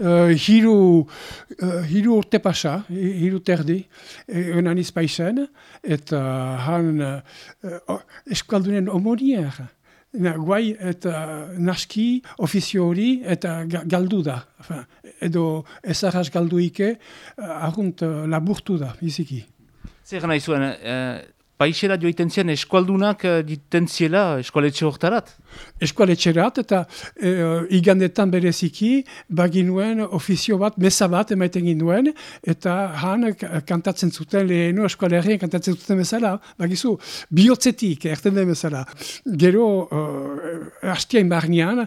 hiru urte pasa, hiru terdi, egon Paisen, eta han eskualdunen omonier. Guai eta naski, ofizio hori eta galdu da. Edo ezarraz galduike, argunt laburtu da, biziki. Zer nahi zuen, Paisera joiten zian eskualdunak diten ziela eskualetxe hortarat? Eskualetxerat eta igandetan bereziki baginuen ofizio bat, mesa bat emaiten ginuen, eta han kantatzen zuten lehenu eskualerrien kantatzen zuten bezala, bagizu, bihotzetik erten den bezala. Gero, hastiain barnean,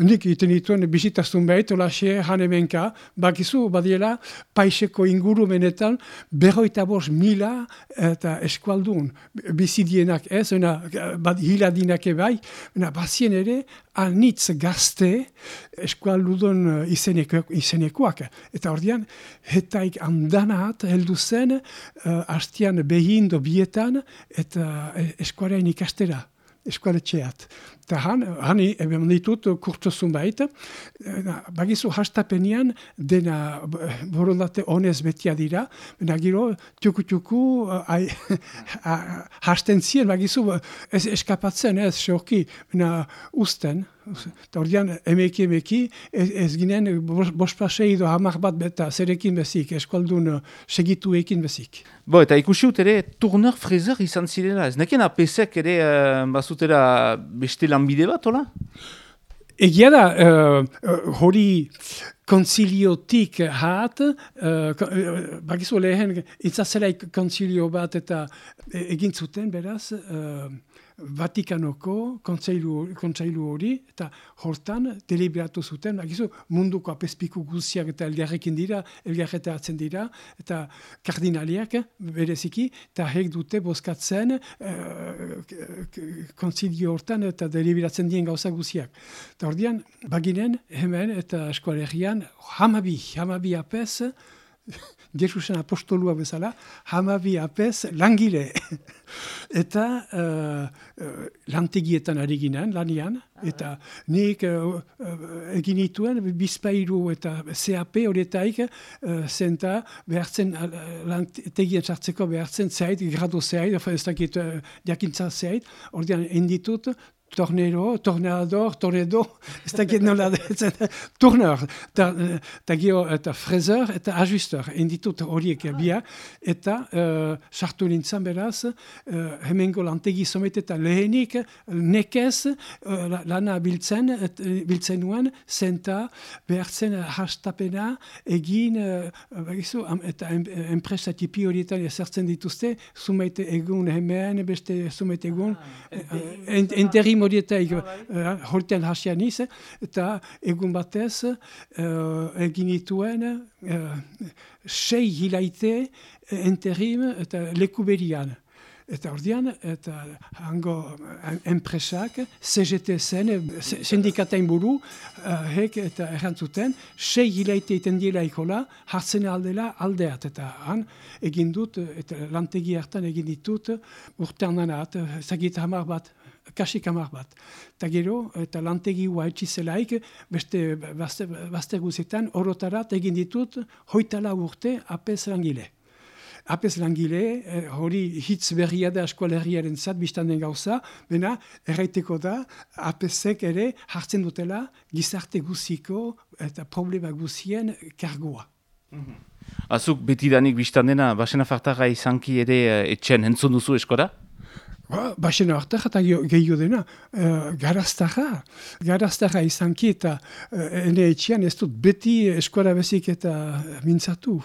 nik iten dituen bisitaztun behit, olaxe han emenka, bagizu, badiela, Paiseko ingurumenetan, 45.000 eta eskualdun bizidienak ez, hiladinak ebai, bazien ere, anitz gazte eskualdun izenekoak. Eta ordean, hetaik andanat heldu zen, hastian behin do bietan, eta eskualean ikastera, eskualetxeat. Eta han eben ditut kurtozun baita, bagizu hastapenean dena borondate honez betia dira, baina gero tuku hasten zien, bagizu ez eskapatzen ez xorki, baina usten. Eta ordean, emeki, ez ginen bospasei do hamar bat beta zerekin bezik, eskualdun segituekin bezik. Eta ikusi ut ere, Turner Fraser izan zirela, ez nekien apesek ere bazutera beste lanbide bat, hola? Egia da, hori konziliotik hat, bakizu lehen, itzazelaik konzilio bat eta egin zuten, beraz, Vatikanoko kontseilu hori, eta hortan deliberatu zuten, bakizu munduko apezpiku guziak eta elgarrekin dira, elgarretatzen dira, eta kardinaliak bereziki, eta hek dute bozkatzen kontzilio hortan eta deliberatzen dien gauza guziak. Eta ordean, baginen, hemen eta eskualerian, hamabi apez, Jesusen apostolua bezala, hamabi apez langile. Eta lantegietan ari ginen, lanian, eta nik egin dituen bizpairu eta CAP horietaik zenta behartzen, lantegien sartzeko behartzen zait, grado zait, ez dakit jakintza zait, ordean enditut, torneador, ez dakit nola detzen, Turner, eta Fraser, eta ajusteur, enditut horiek bia, eta sartu nintzen beraz, hemengo lantegi somet eta lehenik, nekez, lana biltzen nuen, zenta behartzen hastapena egin, eta enpresa tipi horietan ezartzen dituzte, sumaite egun hemen, beste sumaite egun, interim horietaik horten hasian iz, eta egun batez egin dituen 6 hilaite interim eta lekuberian. Eta ordean, eta hango enpresak, CGT zen, sindikatain buru, hek eta errantzuten, 6 hilaite iten diela ikola, hartzen aldela aldeat. Eta han egin dut, eta lantegi hartan egin ditut, urtean nanat, zagit hamar bat, kasik hamar bat. Eta gero, eta lantegi hua etxizelaik, beste bazter guzietan, orotarat egin ditut, 24 urte apez langile. Apez langile, hori hitz berria da eskualerriaren zat, biztan den gauza, bena, erraiteko da, apezek ere hartzen dutela gizarte guziko eta problema guzien kargoa. Azuk betidanik biztan dena, Baxena Fartarra izanki ere etxen entzun duzu eskora? Baxena hartak eta gehiago dena, garaztarra izanki eta ene etxean ez dut beti eskora bezik eta mintzatu.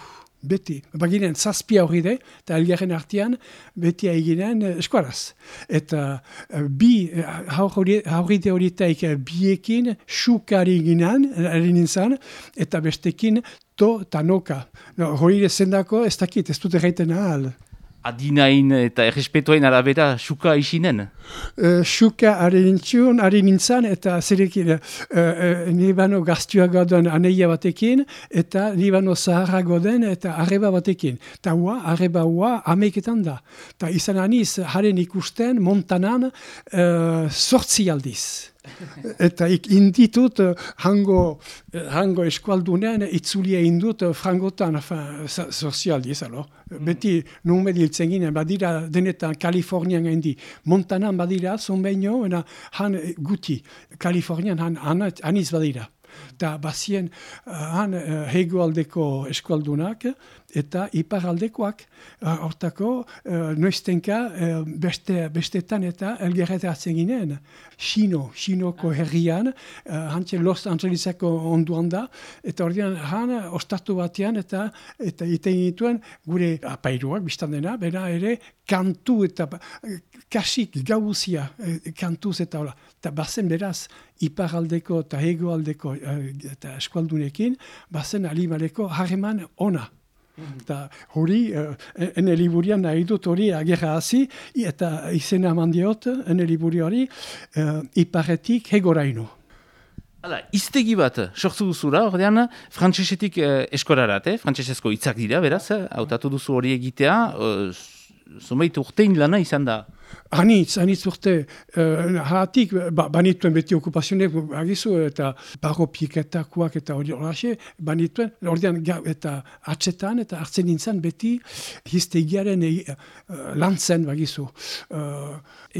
Beti. Baginen zazpia hori de, eta elgarren artean beti eginen eskuaraz. Eta bi hauride horietaik biekin xukari ginen, nintzen, eta bestekin to eta noka. Hori zendako ez dakit, ez dut erraiten ahal. Adinain eta errespetuain arabera xuka isinen? Xuka ari nintzen, eta zerekin nibano gaztua goden aneia batekin, eta nibano zaharra goden eta arreba batekin. Eta arreba hua ameiketan da. Eta izan aniz, haren ikusten, Montanan, 8 aldiz. Eta inditut hango eskualdunean itzulia indut frangotan, sozialdiz, beti numedi hiltzen ginen, badira denetan Kalifornian gaindi. Montanan badira, zonbeino, han guti, Kalifornian aniz badira. Eta bazien han hegoaldeko eskualdunak eta iparaldekoak hortako noiztenka bestetan eta elgerretatzen ginen. Xinoko herrian, hantxe Los Angeleseko onduan da, eta ordean han ostatu batean eta iten dituen gure apairuak biztan dena, bera ere kantu eta kasik gauzia kantuz eta hola. Eta bazen beraz iparaldeko eta hegoaldeko eta eskualdunekin, bazen alimaleko harreman ona. Eta hori, ene liburian nahi dut hori agerra hazi, eta izena mandiot, ene liburi hori, iparetik hegoraino. Hala, iztegi bat, sortzu duzura, ordean, frantsesetik eskorarat, frantsesezko hitzak dira, beraz, hautatu duzu hori egitea, zumeit urtein lana izan da. Anitz urte, hatik, banituen beti okupazionek, agizu, eta barropieketakoak eta hori horaxe, banituen, ordean, eta atxetan, eta hartzen nintzen beti, hiztegiaren lantzen, bagizu,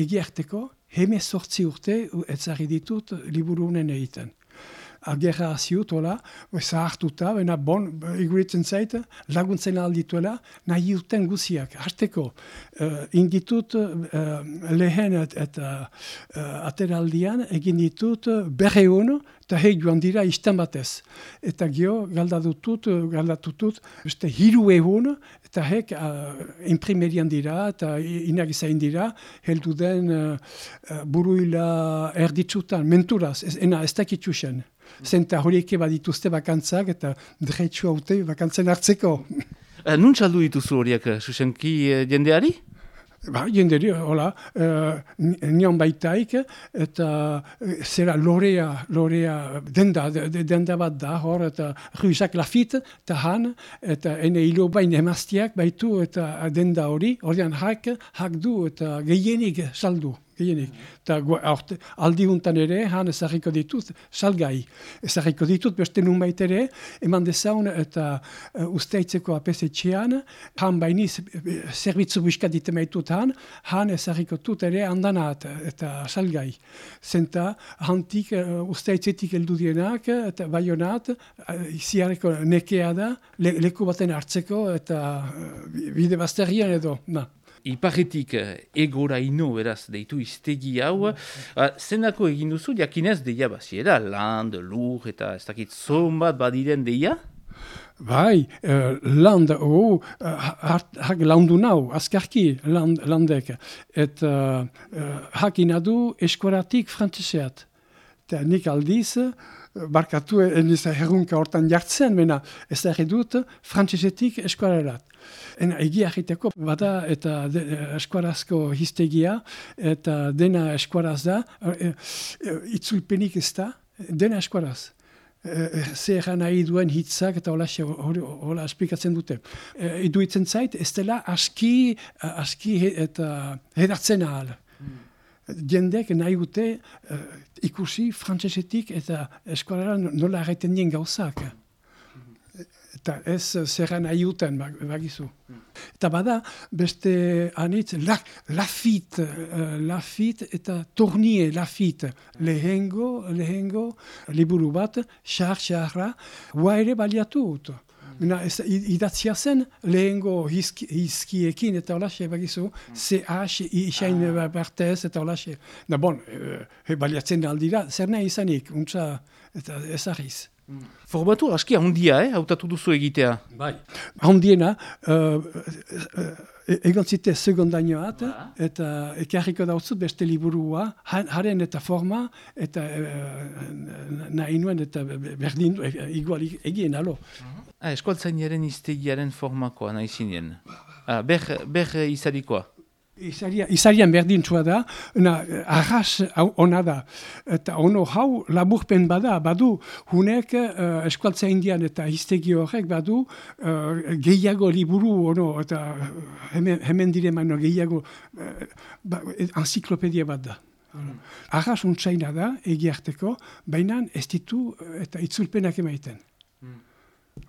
egiarteko, 18 urte, etzari ditut, liburu honen egiten. Agerra ziut, hola, zahartuta, baina bon, iguritzen zait, laguntzen aldituela, nahi duten guziak. Hasteko, inditut lehen eta ateraldian, egin ditut berreun, eta joan dira istan batez. Eta gio, galdatutut, beste 3 egun, eta imprimerian dira, eta inagizain dira, heldu den buruila erditzutan, menturaz, ez dakitxusen. Zenta horiek badituzte bakantzak eta dretsu haute bakantzen hartzeko. Nun txaldu dituzu horiek, Susenki jendeari? Jenderi, hola, nion baitaik, eta zera lorea denda bat da, hor, eta Ruizak Lafit, eta han, eta ene hilo bain emaztiak baitu, eta denda hori, ordean hak du, eta gehienik saldu. Eta aldi huntan ere, han ezarriko ditut, salgai. Ezarriko ditut, beste nunbait ere, eman dezaun eta usteitzeko apesetxean, han bainiz zerbitzu buskat ditemaitut han ezarriko dut ere handanat eta salgai. Zenta, hantik usteitzetik heldu dienak, eta baionat, ziareko nekea da, leku baten hartzeko, eta bide bazterrian edo, Iparretik egoraino beraz deitu iztegi hau, zenako egin duzu, jakinez deia baziera, land, lur eta ez dakit zon bat badiren deia? Bai, land, hak landu nau, azkarki landek, eta hakin adu eskoratik frantzeseat. Eta nik aldiz, barkatu eniz herrunka hortan jartzen, mena ez da edut frantzesetik eskorarat. Egia egiteko bada eta eskuarazko hiztegia eta dena eskuaraz da, itzulpenik ez da, dena eskuaraz. Zer nahi duen hitzak eta hola esplikatzen dute. Iduitzen zait, ez dela aski eta hedartzen ahal. Jendek nahi dute ikusi frantsesetik eta eskualara nola erraiten dien gauzak. Eta ez zerra nahi duten, bagizu. Eta bada, beste anitz, Lafit eta Tournier Lafit. Lehengo liburu bat, xarra, hua ere baliatu dut. Idatzia zen, lehengo hizkiekin eta holaxe, bagizu, CH, isain bartez eta holaxe. Da bon, baliatzen aldira, zer nahi izanik, untsa eta ezagiz. Formatu aski handia, hautatu duzu egitea? Bai. Handiena, egon zite segondainoat, eta ekarriko dautzut beste liburua, haren eta forma, eta nahi nuen eta berdin, igual egien alo. Eskualtzainaren iztegiaren formakoa nahi zinen. Ber izarikoa. Izarian berdintzua da, arras ona da. Eta ono hau laburpen badu, hunek eskualtza indian eta hiztegi horrek badu gehiago liburu, eta hemen dire gehiago enziklopedia bat da. Arras untsaina da, egiarteko, baina ez ditu eta itzulpenak emaiten.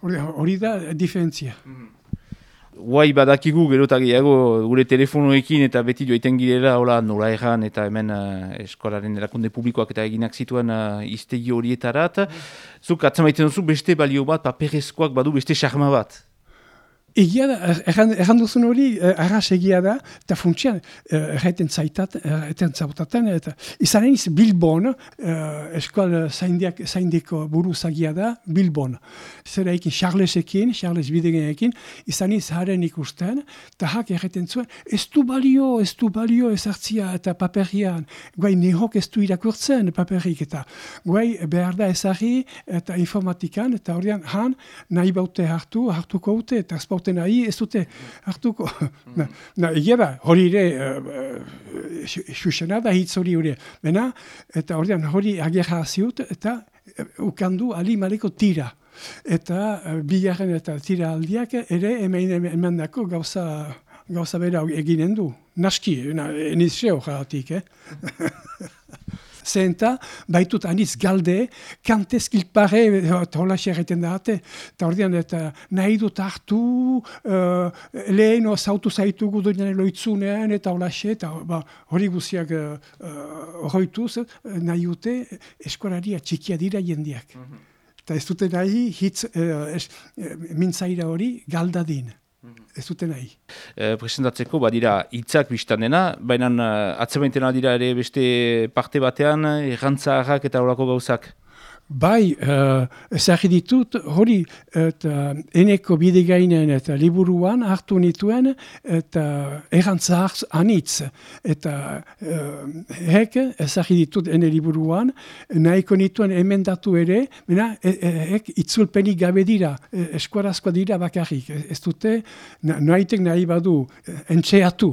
Hori da diferentzia. Guai badakigu gerotagiago gure telefonoekin eta beti joiten girela nola erran eta hemen eskolaren erakunde publikoak eta eginak zituen iztegi horietarat. Zuk atzamaiten duzu beste balio bat, paperezkoak badu beste xarma bat. Egia da, erran duzun hori, arras egia da, eta funtsian, erraiten zautaten, eta izan eniz Bilbon, eskual zaindeko buruzagia da, Bilbon. Zer eikin, Charles Bidegenekin, izan eniz haren ikusten, eta hak erraiten zuen, ez du balio ezartzia eta paperian, guai nehok ez du irakurtzen paperik, eta guai behar da ezari eta informatikan, eta horian han nahi baute hartuko ute, eta ezpaute nahi ez dute hartuko. Egia da, hori ere, xuxena da hitz hori. Bena, eta hori agerra ziut, eta ukandu alimaleko tira. Eta bigarren eta tira aldiak ere emandako gauza bera eginen du. Naski, enizio jaratik, Zenta, baitut aniz galde, kantez kilpare, hola xerreten date, eta ordean, eta nahi dut hartu, lehen zautu zaitugu duenean eloitzunean, eta hola xe, eta hori guziak horretuz, nahi dute eskolari txikia dira jendiak. Eta ez dute nahi, hitz mintzaira hori galdadin. Ez dute nahi. Presentatzeko badira hitzak biztan dena, baina atzemaitena dira ere beste parte batean, errantzaharrak eta horako gauzak. Bai, ezagri ditut, hori, eta eneko bidegainen eta liburuan hartu nituen, eta errantzahar anitz. Eta hek, ezagri ditut ene liburuan, nahiko nituen emendatu ere, hek itzulpenik gabe dira, eskuarazkoa dira bakarrik. Ez dute, nahitek nahi badu, entxeatu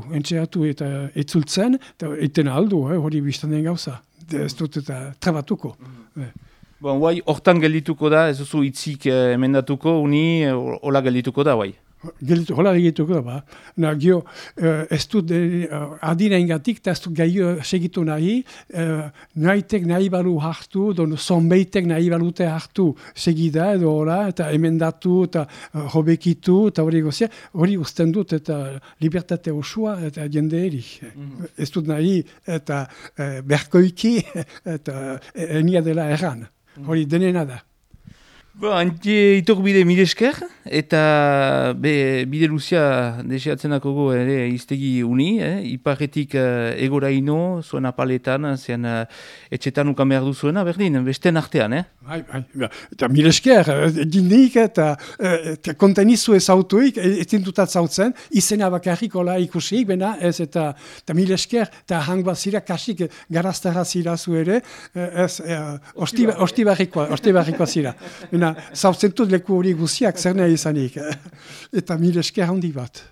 eta itzultzen, eta iten aldu, hori biztan den gauza. Ez dute eta trabatuko. Bon, guai, hortan geldituko da, ez duzu hitzik emendatuko, hola geldituko da, guai. Hola geldituko da, Gio, ez dut adina ingatik, eta ez dut gaio segitu nahi, nahitek nahi balu hartu, zonbeitek nahi balute hartu segida edo hola, eta emendatu, eta hobekitu, eta hori gozia, hori usten dut, eta libertate osua, eta jende eri. Ez dut nahi, eta berkoiki, eta enia dela erran. Hori denena da. Itok bide mide esker, eta bide luzia deseatzenako ere iztegi uni, iparretik egoraino, zuen apaletan, zean etxetan ukan behar duzuena, berdin, besten artean, Bai, eta mide esker, dindik eta kontenizu ez autuik, ez dintutat zautzen, izena bakarrik hola ikusik, bena ez eta mide esker, eta hangbat zira kasik garaztara zira zu ere, ostibarrikoa zira. Zautzen dut leku hori guziak, zer nahi izanik. Eta mile esker handi bat.